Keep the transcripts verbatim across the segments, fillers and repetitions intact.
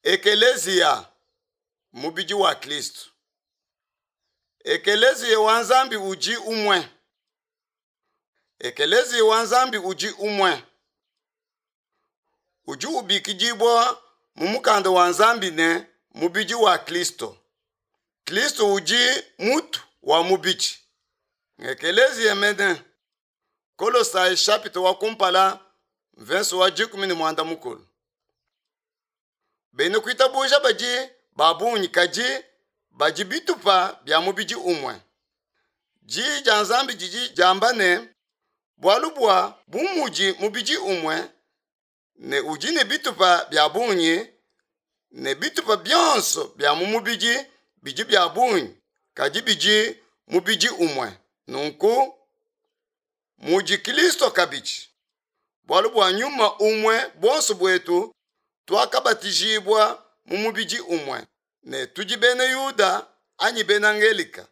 Ekeleziya, mubidi wa Kristo. Ekeleziya wa Nzambi udi umue. Ekeleziya wa Nzambi udi umue. Udi ubikidibua mu mukanda wa Nzambi ne mubidi wa Kristo. Kristo udi mutu wa mubidi. Ekeleziya mene. Kolosai chapitre wa kumpala verse wa dikumi ne muanda mukulu. Bena kuitabuja badi ba bungi kadi badi bitupa bia mubidi umue. Diyi dia Nzambi didi diamba ne bualu bua bu mudi mubidi umue ne udi ne bitupa bia bungi ne bitupa bionso bia mu mubidi bidi bia bungi kadi bidi mubidi umue. Nunku mudi Kristo kabidi. Bualu bua nyuma umue buonso buetu tuakabatijibua mu mubidi umue ne tudi bena Yuda anyi bena Ngelika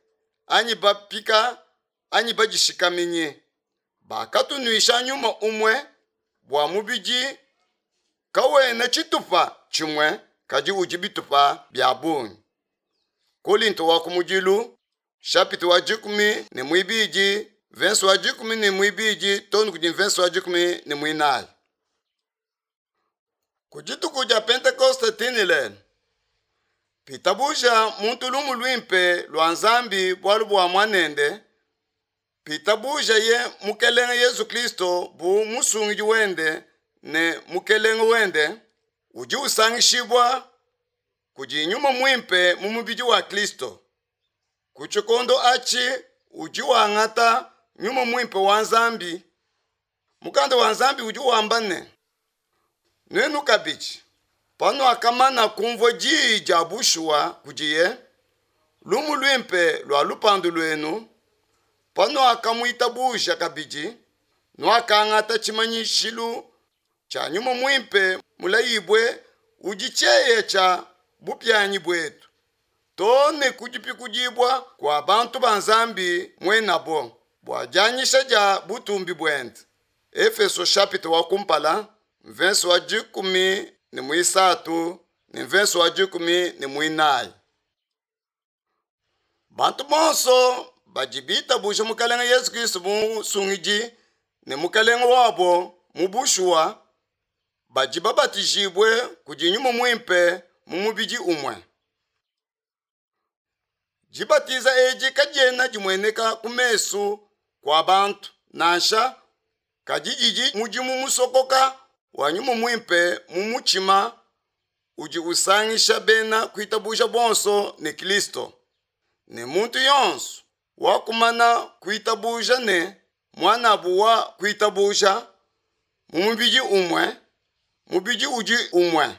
anyi bapika anyi badishikaminyi. Bakatunuisha nyuma umue bua mubidi kawena tshitupa tshimue kadi udi bitupa bia bungi. Kolinto wa kumudilu chapitre wa dikumi ne muibidi verse wa dikumi ne muibidi too ne kudi verse wa dikumi ne muinayi. Ku dituku dia Pentekoste tinilene pitabuja muntu lumu luimpe lua Nzambi bualu bua muanende pitabuja ye mukelenge Yesu Kristo bu musungidi wende ne mukelenge wende udi usangishibua kudi nyuma muimpe mu mubidi wa Kristo. Ku tshikondo atshi udi wangata nyuma muimpe wa Nzambi. Mukanda wa Nzambi udi wamba ne nuenu kabidi panuakamana kumvua diyi dia bushuwa kudiye lumu luimpe lua lupandu luenu panuakamuitabuja kabidi nuakangata tshimanyishilu tshia nyuma muimpe mulayibue udi tshieya tshia bupianyi buetu too ne ku dipikudibua kua bantu ba Nzambi muenabo bua dianyisha dia butumbi buende. Efeso chapitre wa kumpala verse wa dikumi ne muisatu ne verse wa dikumi ne muinayi. Bantu bonso badi bitabuja mukelenge Yesu Kristo bu musungidi ne mukelenge wabo mu bushuwa badi babatijibue kudi nyuma muimpe mu mubidi umue. Dibatiza edi kadiena dimueneka ku mesu kua bantu nansha kadi didi mudimu musokoka wa nyuma muimpe mu mutshima udi usangisha bena kuitabuja bonso ne Kristo. Ne muntu yonso wakumana kuitabuja ne muanabu wa kuitabuja mu mubidi umue, mubidi udi umue.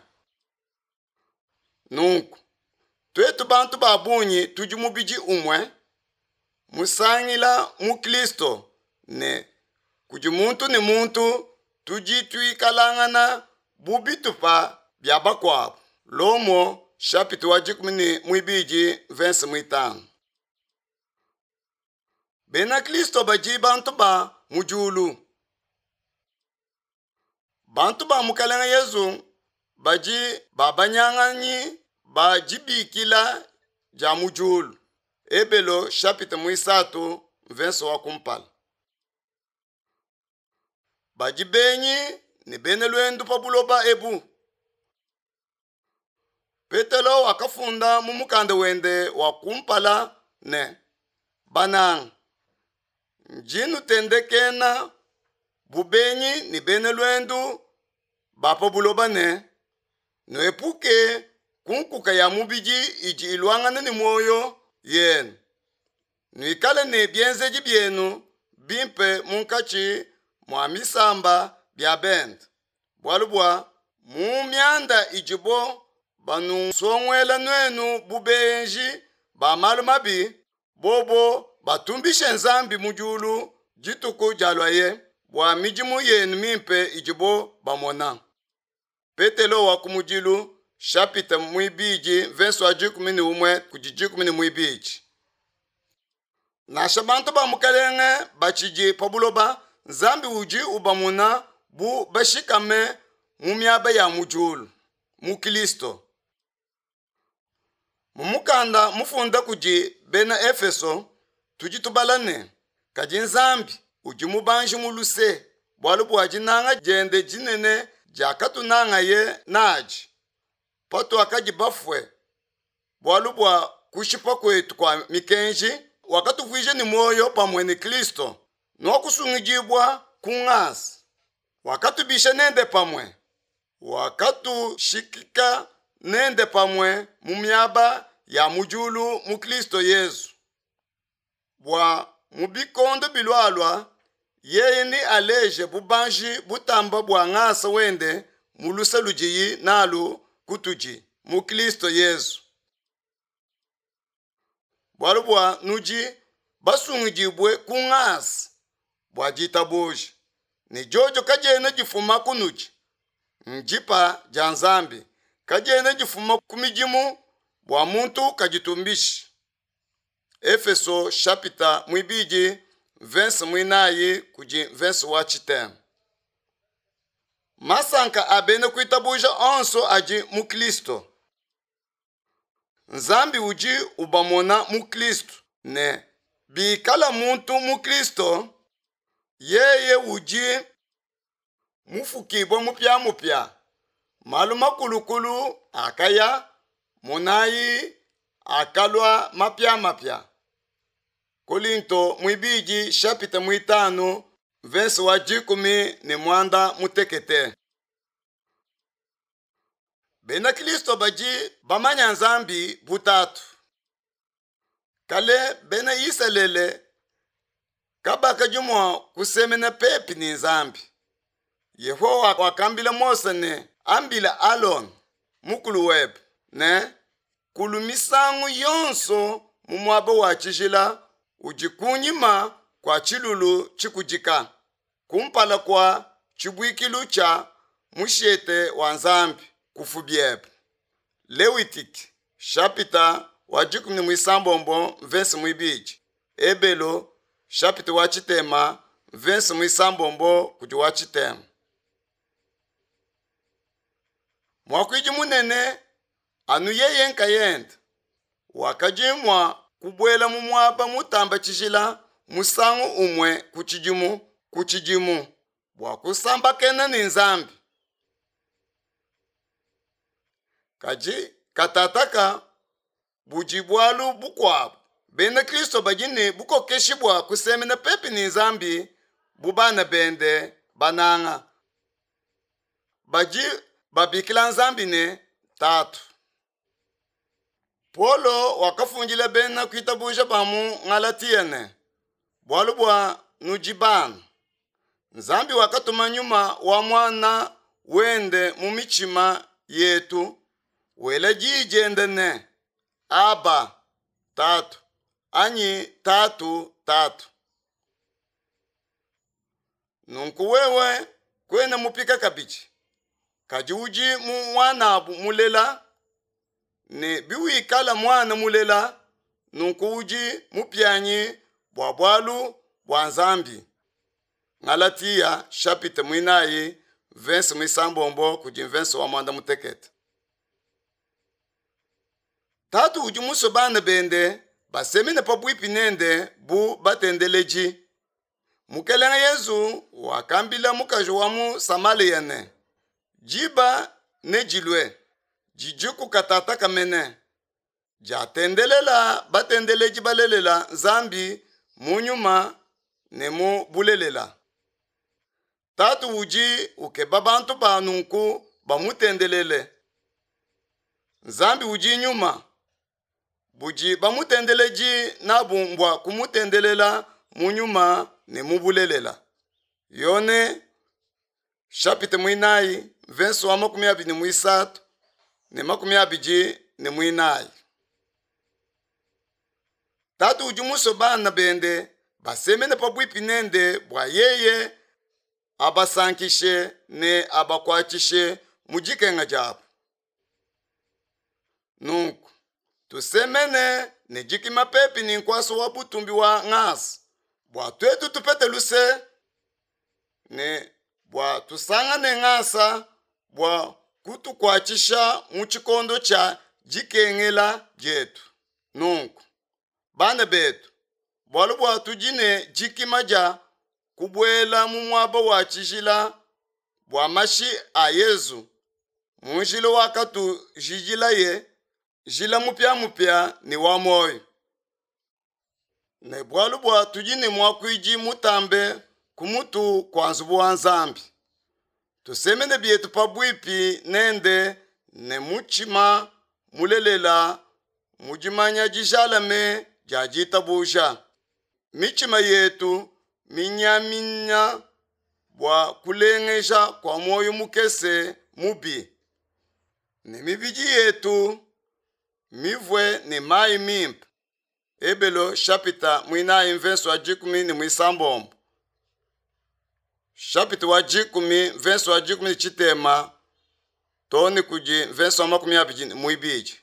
Nunku tuetu bantu ba bungi tudi mubidi umue musangila mu Kristo ne kudi muntu ne muntu tudi tuikalangana bu bitupa bia bakuabu. Lomo chapitre wa dikumi ne muibidi verse muitanu. Bena Kristo badi bantu ba mu diulu. Bantu ba mukelenge Yesu badi babanyanganyi ba dibikila dia mu diulu. Ebelo chapitre muisatu verse wa kumpala. Badi benyi ne bena luendu pa buloba ebu. Petelo wakafunda mu mukanda wende wa kumpala ne bananga ndi nutendekena bu benyi ne bena luendu ba pa buloba ne nuepuke ku nkuka ya mubidi idi iluangana ne muoyo yenu. Nuikale ne bienzedi bienu bimpe munkatshi mua misamba bia bende. Bualu bua mu mianda idibo banusonguela nuenu bu benji ba malu mabi bobo batumbishe Nzambi mu diulu dituku dialuaye bua midimu yenu mimpe idibo bamona. Petelo wa kumudilu chapitre muibidi verse wa dikumi ne umue kudi dikumi ne muibidi. Nansha bantu ba mukelenge batshidi pa buloba Nzambi udi ubamona bu bashikame mu miaba ya mu diulu mu Kristo. Mu mukanda mufunda kudi bena Efeso tudi tubala ne, kadi Nzambi udi mubanji mu luse, bualu bua dinanga diende dinene diakatunangaye nadi, patuakadi bafue bualu bua kushipa kuetu kua mikenji, wakatuvuija ne muoyo pamue ne Kristo, nuakusungidibua ku ngasa. Wakatubisha nende pamue, wakatushikika nende pamue mu miaba ya mu diulu mu Kristo Yezu, bua mu bikondo bilualua yeye nealeje bubanji butamba bua ngasa wende mu luse ludiye nalu kutudi mu Kristo Yezu. Bualu bua nudi basungidibue ku ngasa bua ditabuja, ne diodio kadiena difuma kunudi, ndipa dia Nzambi, kadiena difuma ku midimu bua muntu kaditumbishi. Efeso chapitre mwibidi verse mwinayi kudi verse wa tshitema. Masanka a bena kuitabuja onso adi mu Kristo. Nzambi udi ubamona mu Kristo ne bikala muntu mu Kristo, yeye udi mufukibue mupiamupia. Malu makulukulu akaya, monayi akalua mapiamapia. Kolinto mwibidi chapitre mwitanu verse wa dikumi ne mwanda mutekete. Bena Kristo badi bamanya Nzambi butatu. Kale bena Isalele kabakadi mua kusemena pepi ne Nzambi. Yehowa wakambila Mose ne, ambila Alon mukulu webe ne kulu misangu yonso mu muaba wa tshijila udi kunyima kua tshilulu tshikudika, kumpala kua tshibuikilu tshia mushete wa Nzambi kufu biebe. Lewitiki chapitre wa dikumi ne muisambombo verse mwibidi, Ebelo chapitre wa tshitema verse muisambombo kudi wa tshitema. Muakuidi munene anu yeye nkayende wakadi mua kubuela mu muaba mutamba tshijila musangu umue ku tshidimu ku tshidimu bua kusambakena ne Nzambi. Kadi katataka budi bualu bukuabu. Bena Kristo badi ne bukokeshi bua kusemena pepi ne Nzambi bu bana bende bananga. Badi babikila Nzambi ne Tatu. Paulo wakafundila bena kuitabuja ba mu Galatia ne, bualu bua nudi bana, Nzambi wakatuma nyuma wa mwana wende mu mitshima yetu, wela diyi diende ne, Aba, Tatu, anyi Tatu, Tatu. Nunku wewe kuena mupika kabidi, kadi udi mu mwanabu mulela, ne biwikala mwana mulela, nunku udi mupianyi bua bualu bua Nzambi. Galatia chapitre mwinayi verse mwisambombo kudi verse wa mwanda mutekete. Tatu udi musue bana bende basemene pabuipi nende bu batendeleji. Mukelenge Yezu wakambila mukaji wa mu Samaria ne, diba nedilue didi katata kamene diatendelela batendeleji balelela Nzambi mu nyuma ne mu bulelela. Tatu udi ukeba bantu ba nunku bamutendelele. Nzambi udi nyuma, budi bamutendeleji nabu mbua kumutendelela mu nyuma ne mu bulelela. Yone chapitre mwinayi verse wa makumi abidi ne mwisatu ne makumi abidi ne mwinayi. Tatu udi musue bana bende basemene pabuipi nende bua yeye abasankishe ne abakuatshishe mu dikenga diabu. Nunku tusemene ne dikima pepi ne nkuasa wa butumbi wa ngasa bua tuetu tupete luse ne bua tusangane ngasa bua kutukuatshisha mu tshikondo tshia dikengela dietu. Nunku, bana betu, bualu bua tudi ne dikima dia kubuela mu muaba wa tshijila bua mashi a Yezu, mu njila wakatujidilaye, njila mupiamupia ne wa muoyo. Ne bualu bua tudi ne muakuidi mutambe ku mutu kua nzubu wa Nzambi. Tusemene bietu pabuipi nende ne mutshima mulelela mu dimanya dijalame dia ditabuja. Mitshima yetu minyaminya bua kulengeja kua muoyo mukese mubi, ne mibidi yetu mivue ne mayi mimpe. Ebelo chapitre muinayi mverse wa dikumi ne muisambombo. Chapitre wa dikumi mverse wa dikumi ne tshitema too ne kudi mverse wa makumi abidi ne muibidi.